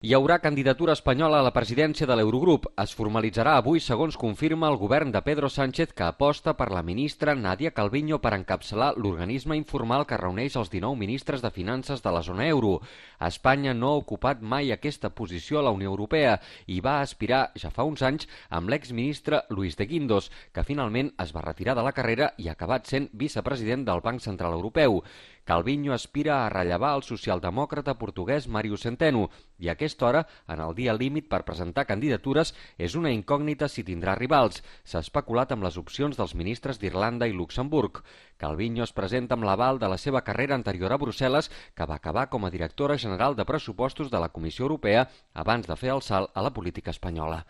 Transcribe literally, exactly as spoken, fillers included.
Hi haurà candidatura espanyola a la presidència de l'Eurogrup. Es formalitzarà avui, segons confirma el govern de Pedro Sánchez, que aposta per la ministra Nadia Calviño per encapçalar l'organisme informal que reuneix els dinou ministres de finances de la zona euro. Espanya no ha ocupat mai aquesta posició a la Unió Europea i va aspirar ja fa uns anys amb l'exministre Luis de Guindos, que finalment es va retirar de la carrera i ha acabat sent vicepresident del Banc Central Europeu. Calviño aspira a rellevar el socialdemòcrata portuguès Mário Centeno i a aquesta hora, en el dia límit per presentar candidatures, és una incògnita si tindrà rivals. S'ha especulat amb les opcions dels ministres d'Irlanda i Luxemburg. Calviño es presenta amb l'aval de la seva carrera anterior a Brussel·les, que va acabar com a directora general de pressupostos de la Comissió Europea abans de fer el salt a la política espanyola.